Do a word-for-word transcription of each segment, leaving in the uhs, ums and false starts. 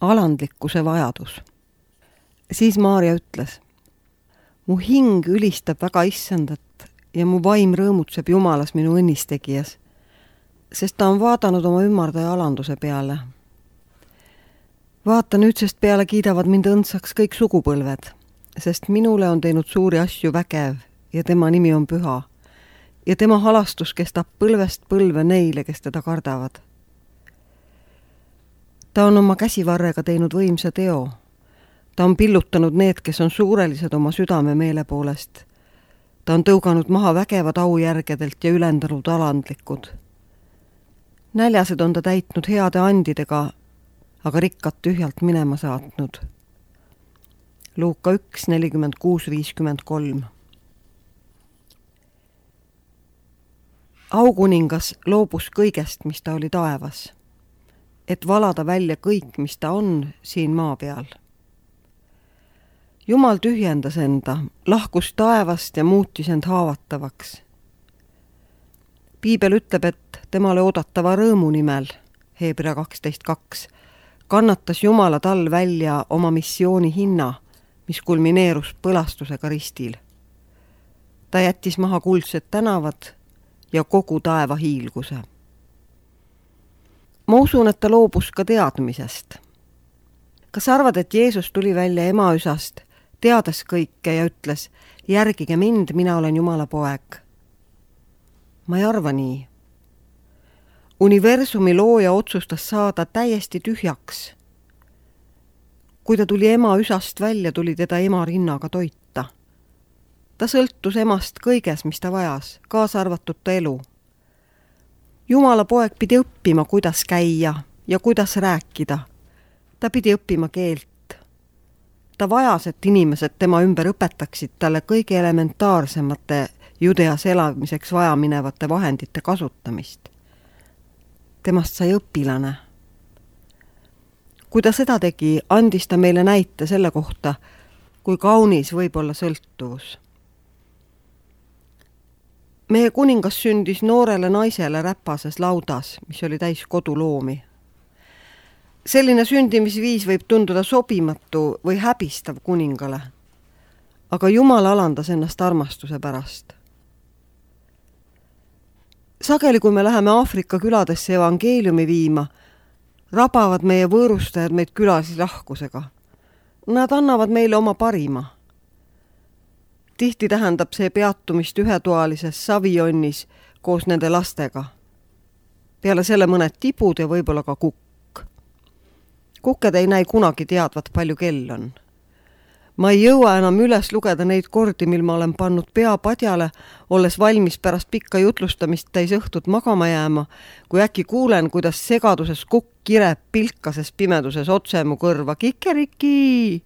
alandlikkuse vajadus. Siis Maarja ütles, mu hing ülistab väga issandat ja mu vaim rõõmutseb Jumalas minu õnnistegijas, sest ta on vaadanud oma ümardaja alanduse peale. Vaata, nüüdsest peale kiidavad mind õndsaks kõik sugupõlved, sest minule on teinud suuri asju vägev ja tema nimi on püha ja tema halastus kestab põlvest põlve neile, kes teda kardavad. Ta on oma käsivarrega teinud võimsa teo. Ta on pillutanud need, kes on suurelised oma südame meele poolest. Ta on tõuganud maha vägevad aujärgedelt ja ülendanud alandlikud. Näljased on ta täitnud heade andidega, aga rikkad tühjalt minema saatnud. Luuka üks, nelikümmend kuus, viiskümmend kolm. Aukuningas loobus kõigest, mis ta oli taevas, et valada välja kõik, mis ta on siin maa peal. Jumal tühjendas enda, lahkus taevast ja muutis end haavatavaks. Piibel ütleb, et temale oodatava rõõmu nimel, Hebra kaksteist kaks, kannatas Jumala tal välja oma missiooni hinna, mis kulmineerus põlastusega ristil. Ta jättis maha kuldsed tänavad ja kogu taeva hiilguse. Ma usun, et ta loobus ka teadmisest. Kas arvad, et Jeesus tuli välja emaüsast, teades kõike ja ütles, järgige mind, mina olen Jumala poeg? Ma ei arva nii. Universumi looja otsustas saada täiesti tühjaks. Kui ta tuli emaüsast välja, tuli teda ema rinnaga toita. Ta sõltus emast kõiges, mis ta vajas, kaasa arvatud ta elu. Jumala poeg pidi õppima, kuidas käia ja kuidas rääkida. Ta pidi õppima keelt. Ta vajas, et inimesed tema ümber õpetaksid talle kõige elementaarsemate Judeas elamiseks vajaminevate vahendite kasutamist. Temast sai õpilane. Kui ta seda tegi, andis ta meile näite selle kohta, kui kaunis võib olla sõltuvus. Meie kuningas sündis noorele naisele räpases laudas, mis oli täis koduloomi. Selline sündimisviis võib tunduda sobimatu või häbistav kuningale, aga Jumal alandas ennast armastuse pärast. Sageli, kui me läheme Aafrika küladesse evangeeliumi viima, rabavad meie võõrustajad meid külasi lahkusega. Nad annavad meile oma parima. Tihti tähendab see peatumist ühetoalises savijonnis koos nende lastega. Peale selle mõned tibud ja võib-olla ka kukk. Kukked ei näi kunagi teadvat, palju kell on. Ma ei jõua enam üles lugeda neid kordi, mil ma olen pannud pea padjale, olles valmis pärast pikka jutlustamist täis õhtut magama jääma, kui äkki kuulen, kuidas segaduses kukk kireb pilkases pimeduses otse mu kõrva. Kikeriki!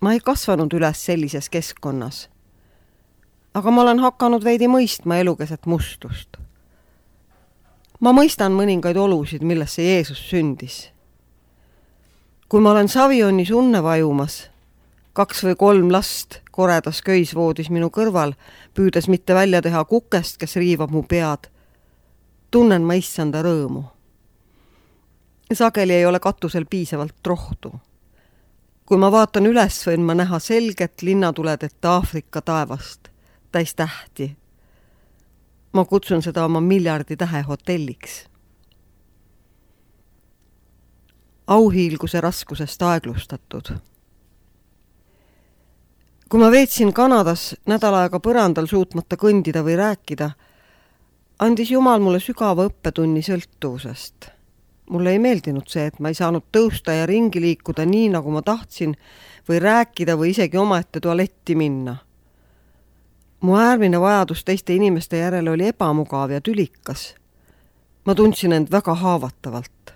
Ma ei kasvanud üles sellises keskkonnas. Aga ma olen hakanud veidi mõistma elukeset mustust. Ma mõistan mõningaid olusid, millesse Jeesus sündis. Kui ma olen savionnis unne vajumas, kaks või kolm last koredas köisvoodis minu kõrval, püüdes mitte välja teha kukest, kes riivab mu pead, tunnen ma issanda rõõmu. Sageli ei ole katusel piisavalt rohtu. Kui ma vaatan üles, võin ma näha selget linnatuledeta Aafrika taevast, täis tähti. Ma kutsun seda oma miljardi tähe hotelliks. Auhiilguse raskusest aeglustatud. Kui ma veetsin Kanadas nädal aega põrandal suutmata kõndida või rääkida, andis Jumal mulle sügava õppetunni sõltuvusest. Mulle ei meeldinud see, et ma ei saanud tõusta ja ringi liikuda nii, nagu ma tahtsin, või rääkida või isegi omaette tualetti minna. Mu äärmine vajadus teiste inimeste järele oli ebamugav ja tülikas. Ma tundsin end väga haavatavalt.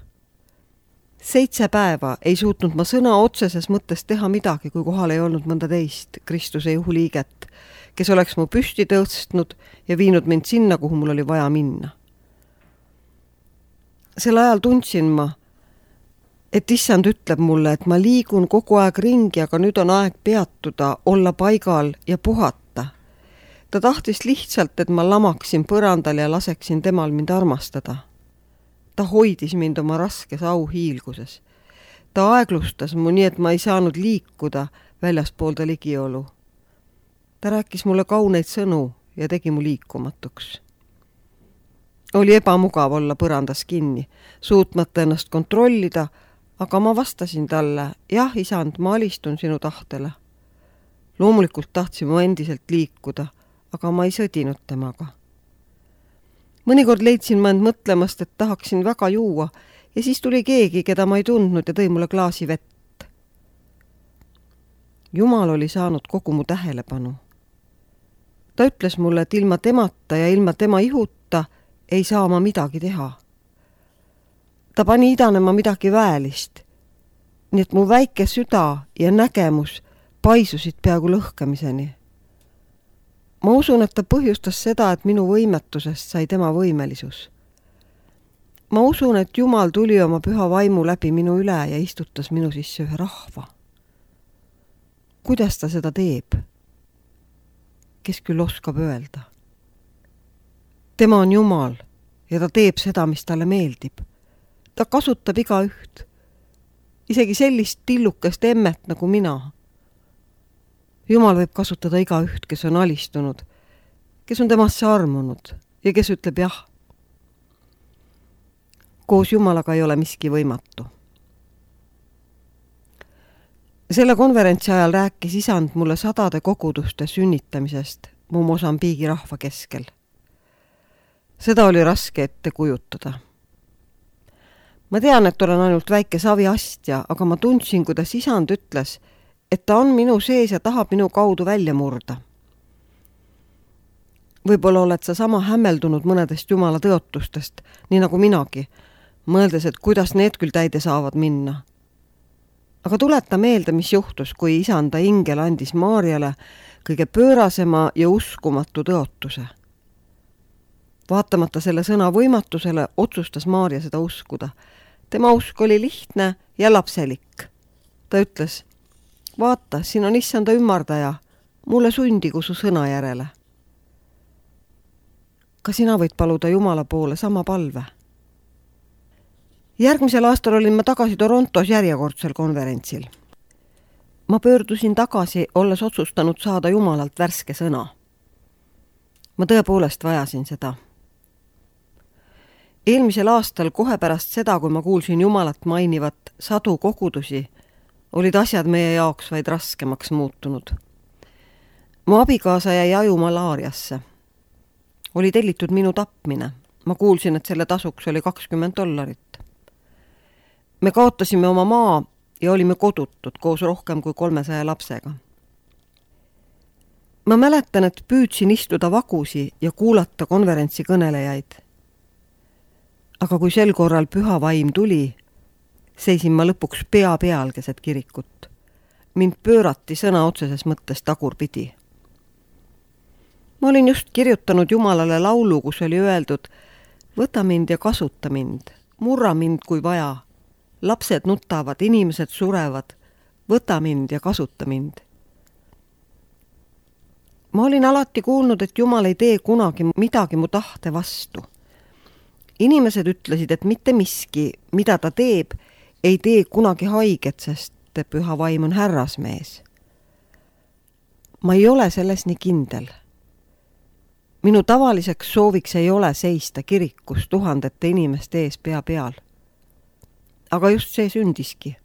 Seitse päeva ei suutnud ma sõna otseses mõttes teha midagi, kui kohal ei olnud mõnda teist, Kristuse juhuliiget, kes oleks mu püsti tõstnud ja viinud mind sinna, kuhu mul oli vaja minna. Sel ajal tundsin ma, et issand ütleb mulle, et ma liigun kogu aeg ringi, aga nüüd on aeg peatuda, olla paigal ja puhata. Ta tahtis lihtsalt, et ma lamaksin põrandal ja laseksin temal mind armastada. Ta hoidis mind oma raskes auhiilguses. Ta aeglustas mu nii, et ma ei saanud liikuda väljaspoolda ligiolu. Ta rääkis mulle kauneid sõnu ja tegi mu liikumatuks. Oli ebamugav olla põrandas kinni, suutmata ennast kontrollida, aga ma vastasin talle, jah, isand, ma alistun sinu tahtele. Loomulikult tahtsin ma endiselt liikuda, aga ma ei sõdinud temaga. Mõnikord leidsin ma end mõtlemast, et tahaksin väga juua ja siis tuli keegi, keda ma ei tundnud ja tõi mulle klaasi vett. Jumal oli saanud kogu mu tähelepanu. Ta ütles mulle, et ilma temata ja ilma tema ihuta ei saa ma midagi teha. Ta pani idanema midagi väelist, nii et mu väike süda ja nägemus paisusid peaaegu lõhkamiseni. Ma usun, et ta põhjustas seda, et minu võimetusest sai tema võimelisus. Ma usun, et Jumal tuli oma püha vaimu läbi minu üle ja istutas minu sisse ühe rahva. Kuidas ta seda teeb? Kes küll oskab öelda? Tema on Jumal ja ta teeb seda, mis talle meeldib. Ta kasutab iga üht, isegi sellist tillukest emmet nagu mina. Jumal võib kasutada iga üht, kes on alistunud, kes on temasse armunud ja kes ütleb jah. Koos Jumalaga ei ole miski võimatu. Selle konverentsi ajal rääkis isand mulle sadade koguduste sünnitamisest mu Mosambiigi rahva keskel. Seda oli raske ette kujutada. Ma tean, et olen ainult väike saviastja, aga ma tundsin, kuidas isand ütles, et ta on minu sees ja tahab minu kaudu välja murda. Võib-olla oled sa sama hämmeldunud mõnedest Jumala tõotustest, nii nagu minagi, mõeldes, et kuidas need küll täide saavad minna. Aga tuleta meelde, mis juhtus, kui isanda ingel andis Maarjale kõige pöörasema ja uskumatu tõotuse. Vaatamata selle sõna võimatusele otsustas Maarja seda uskuda. Tema usk oli lihtne ja lapselik. Ta ütles, vaata, siin on issanda ümmardaja, mulle sundigu su sõna järele. Ka sina võid paluda Jumala poole sama palve. Järgmisel aastal olin ma tagasi Torontos järjekordsel konverentsil. Ma pöördusin tagasi, olles otsustanud saada Jumalalt värske sõna. Ma tõepoolest vajasin seda. Eelmisel aastal, kohe pärast seda, kui ma kuulsin Jumalat mainivat sadu kogudusi, olid asjad meie jaoks vaid raskemaks muutunud. Mu abikaasa jäi aju malaariasse. Oli tellitud minu tapmine. Ma kuulsin, et selle tasuks oli kakskümmend dollarit. Me kaotasime oma maa ja olime kodutud koos rohkem kui kolmesaja lapsega. Ma mäletan, et püüdsin istuda vagusi ja kuulata konverentsi kõnelejaid. Aga kui sel korral püha vaim tuli, seisin ma lõpuks pea peal keset kirikut. Mind pöörati sõna otseses mõttes tagurpidi. Ma olin just kirjutanud Jumalale laulu, kus oli öeldud, võta mind ja kasuta mind, murra mind kui vaja. Lapsed nutavad, inimesed surevad, võta mind ja kasuta mind. Ma olin alati kuulnud, et Jumal ei tee kunagi midagi mu tahte vastu. Inimesed ütlesid, et mitte miski, mida ta teeb, ei tee kunagi haiget, sest püha vaim on härrasmees. Ma ei ole selles nii kindel. Minu tavaliseks sooviks ei ole seista kirikus tuhandete inimeste ees pea peal. Aga just see sündiski.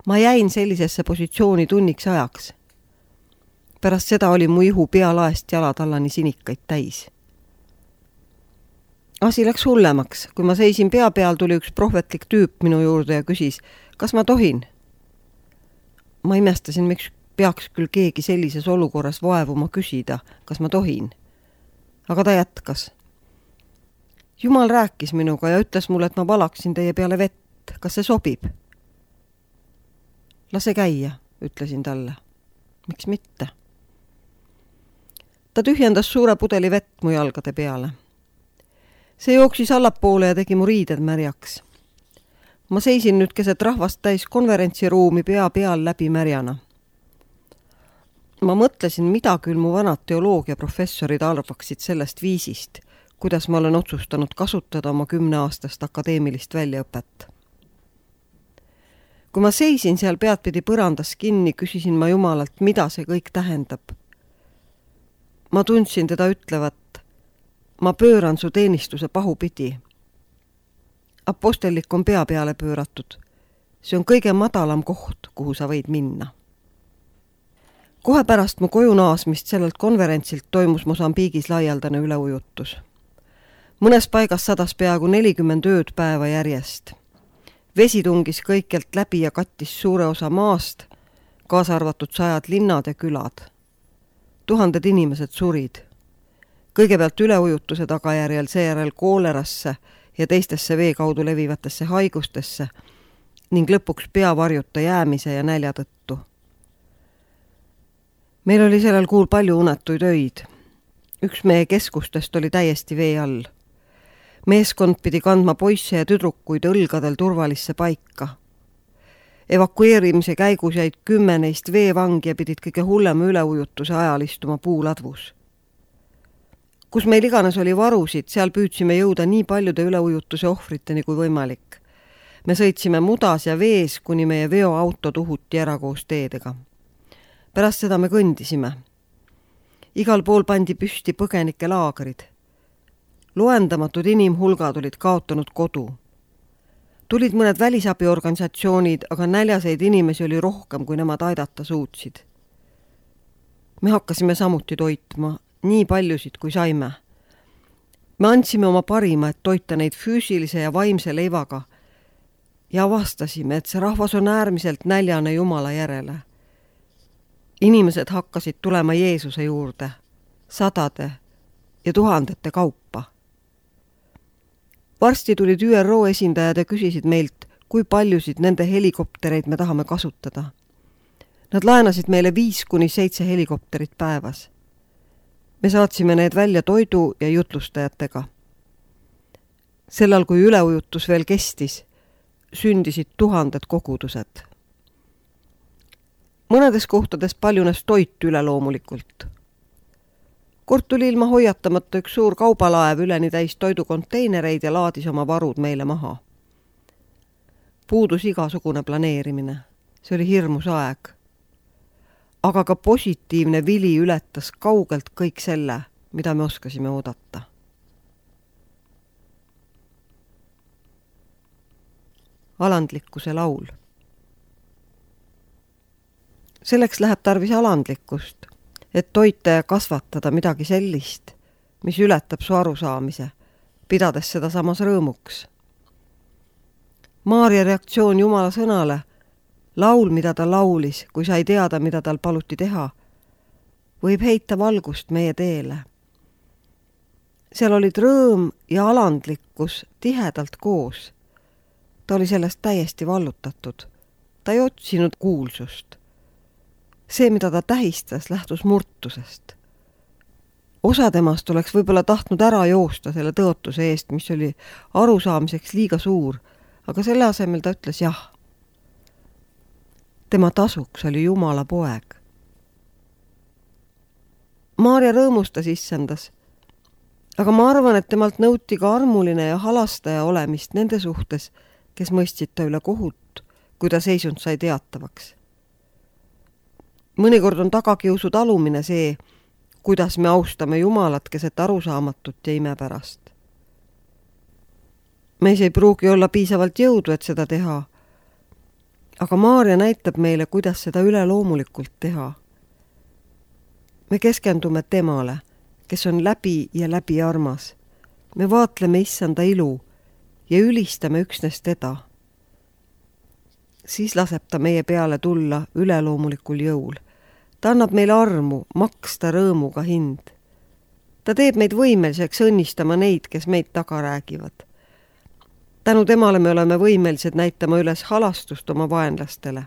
Ma jäin sellisesse positsiooni tunniks ajaks. Pärast seda oli mu ihu pealaest jalatallani sinikaid täis. Asi läks hullemaks. Kui ma seisin pea peal, tuli üks prohvetlik tüüp minu juurde ja küsis, kas ma tohin? Ma imestasin, miks peaks küll keegi sellises olukorras vaevuma küsida, kas ma tohin. Aga ta jätkas. Jumal rääkis minuga ja ütles mulle, et ma valaksin teie peale vett. Kas see sobib? Lase käia, ütlesin talle. Miks mitte? Ta tühjendas suure pudeli vett mu jalgade peale. See jooksis allapoole ja tegi mu riided märjaks. Ma seisin nüüd keset rahvast täis konverentsiruumi pea peal läbi märjana. Ma mõtlesin, mida küll mu vanad teoloogiaprofessorid arvaksid sellest viisist, kuidas ma olen otsustanud kasutada oma kümneaastast akadeemilist väljaõpet. Kui ma seisin seal peadpidi põrandas kinni, küsisin ma Jumalalt, mida see kõik tähendab. Ma tundsin teda ütlevat, ma pööran su teenistuse pahupidi. Apostellik on pea peale pööratud. See on kõige madalam koht, kuhu sa võid minna. Kohe pärast mu koju naasmist sellelt konverentsilt toimus Mosambiigis laialdane üleujutus. Mõnes paigas sadas peaaegu nelikümmend ööd päeva järjest. Vesi tungis kõikjalt läbi ja kattis suure osa maast, kaasa arvatud sajad linnad ja külad. Tuhanded inimesed surid. Kõigepealt üleujutuse tagajärjel, seejärel koolerasse ja teistesse vee kaudu levivatesse haigustesse ning lõpuks peavarjuta jäämise ja nälja tõttu. Meil oli sellel kuul palju unetuid öid. Üks meie keskustest oli täiesti vee all. Meeskond pidi kandma poisse ja tüdrukuid õlgadel turvalisse paika. Evakueerimise käigus jäid kümme neist veevangi ja pidid kõige hullema üleujutuse ajal istuma puuladvus. Kus meil iganes oli varusid, seal püüdsime jõuda nii paljude üleujutuse ohvriteni kui võimalik. Me sõitsime mudas ja vees, kuni meie veoauto tuhuti ära koos teedega. Pärast seda me kõndisime. Igal pool pandi püsti põgenike laagrid. Loendamatud inimhulgad olid kaotanud kodu. Tulid mõned välisabiorganisatsioonid, aga näljaseid inimesi oli rohkem, kui nemad aidata suutsid. Me hakkasime samuti toitma, nii paljusid kui saime. Me andsime oma parima, et toita neid füüsilise ja vaimse leivaga ja avastasime, et see rahvas on äärmiselt näljane Jumala järele. Inimesed hakkasid tulema Jeesuse juurde, sadade ja tuhandete kaupa. Varsti tulid Ü R O esindajad ja küsisid meilt, kui paljusid nende helikoptereid me tahame kasutada. Nad laenasid meile viis kuni seitse helikopterit päevas. Me saatsime need välja toidu ja jutlustajatega. Sellal, kui üleujutus veel kestis, sündisid tuhanded kogudused. Mõnedes kohtades paljunes toit üleloomulikult. Kord tuli ilma hoiatamata üks suur kaubalaev üleni täis toidukonteinereid ja laadis oma varud meile maha. Puudus igasugune planeerimine. See oli hirmus aeg. Aga ka positiivne vili ületas kaugelt kõik selle, mida me oskasime oodata. Alandlikkuse laul. Selleks läheb tarvis alandlikkust, et toita ja kasvatada midagi sellist, mis ületab su arusaamise, pidades seda samas rõõmuks. Maaria reaktsioon Jumala sõnale, laul, mida ta laulis, kui sai teada, mida tal paluti teha, võib heita valgust meie teele. Seal olid rõõm ja alandlikkus tihedalt koos. Ta oli sellest täiesti vallutatud. Ta ei otsinud kuulsust. See, mida ta tähistas, lähtus murtusest. Osa temast oleks võib-olla tahtnud ära joosta selle tõotuse eest, mis oli arusaamiseks liiga suur, aga selle asemel ta ütles jah. Tema tasuks oli Jumala poeg. Maaria rõõmustas issandas, aga ma arvan, et temalt nõuti ka armuline ja halastaja olemist nende suhtes, kes mõistsid ta üle kohut, kui ta seisund sai teatavaks. Mõnikord on tagakiusu talumine see, kuidas me austame Jumalat keset arusaamatut ja imepärast. Meis ei pruugi olla piisavalt jõudu, et seda teha, aga Maaria näitab meile, kuidas seda üleloomulikult teha. Me keskendume temale, kes on läbi ja läbi armas. Me vaatleme issanda ilu ja ülistame üksnes teda. Siis laseb ta meie peale tulla üleloomulikul jõul. Ta annab meile armu, maksta rõõmuga hind. Ta teeb meid võimeliseks õnnistama neid, kes meid taga räägivad. Tänu temale me oleme võimelised näitama üles halastust oma vaenlastele.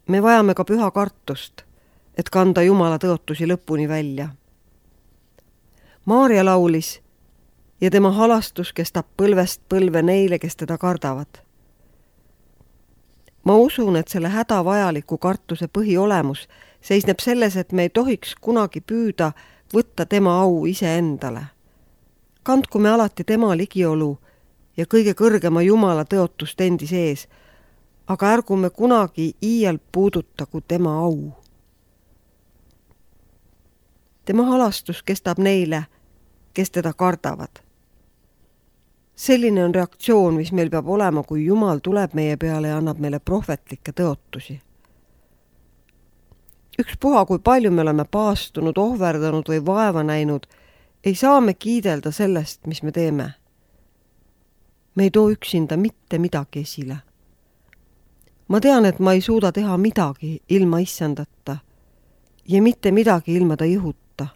Me vajame ka püha kartust, et kanda Jumala tõotusi lõpuni välja. Maaria laulis ja tema halastus kestab põlvest põlve neile, kes teda kardavad. Ma usun, et selle hädavajaliku kartuse põhiolemus seisneb selles, et me ei tohiks kunagi püüda võtta tema au iseendale. Kandku me alati tema ligiolu ja kõige kõrgema Jumala tõotust endi sees, aga ärgu me kunagi iial puudutagu tema au. Tema halastus kestab neile, kes teda kardavad. Selline on reaktsioon, mis meil peab olema, kui Jumal tuleb meie peale ja annab meile prohvetlikke tõotusi. Ükspuha, kui palju me oleme paastunud, ohverdanud või vaeva näinud, ei saa me kiidelda sellest, mis me teeme. Me ei too üksinda mitte midagi esile. Ma tean, et ma ei suuda teha midagi ilma issandata ja mitte midagi ilma ta jõhuta.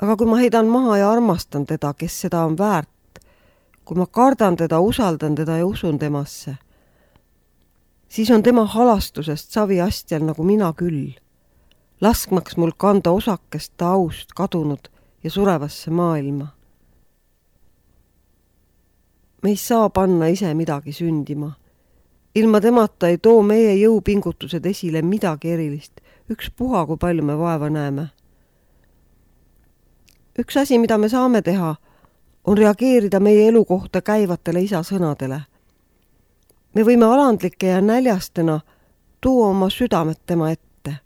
Aga kui ma heidan maha ja armastan teda, kes seda on väärt, kui ma kardan teda, usaldan teda ja usun temasse, siis on tema halastusest saviastjal nagu mina küll, laskmaks mul kanda osakest ta aust kadunud ja surevasse maailma. Me ei saa panna ise midagi sündima. Ilma temata ei too meie jõupingutused esile midagi erilist, ükspuha, kui palju me vaeva näeme. Üks asi, mida me saame teha, on reageerida meie elu kohta käivatele isa sõnadele. Me võime alandlike ja näljastena tuua oma südamet tema ette.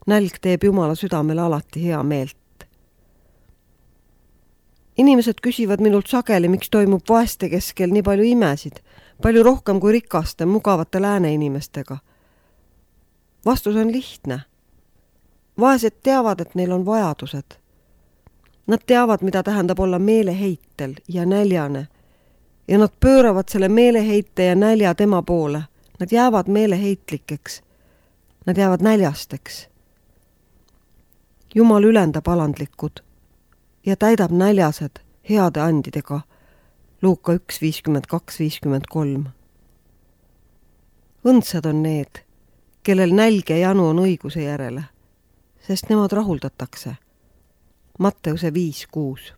Nälg teeb Jumala südamele alati hea meelt. Inimesed küsivad minult sageli, miks toimub vaeste keskel nii palju imesid, palju rohkem kui rikaste, mugavate lääne inimestega. Vastus on lihtne. Vaesed teavad, et neil on vajadused. Nad teavad, mida tähendab olla meeleheitel ja näljane. Ja nad pööravad selle meeleheite ja nälja tema poole. Nad jäävad meeleheitlikeks. Nad jäävad näljasteks. Jumal ülendab alandlikud ja täidab näljased heade andidega. Luuka üks viiskümmend kaks viiskümmend kolm. Õndsad on need, kellel nälg ja janu on õiguse järele, sest nemad rahuldatakse. Matteuse viis kuus.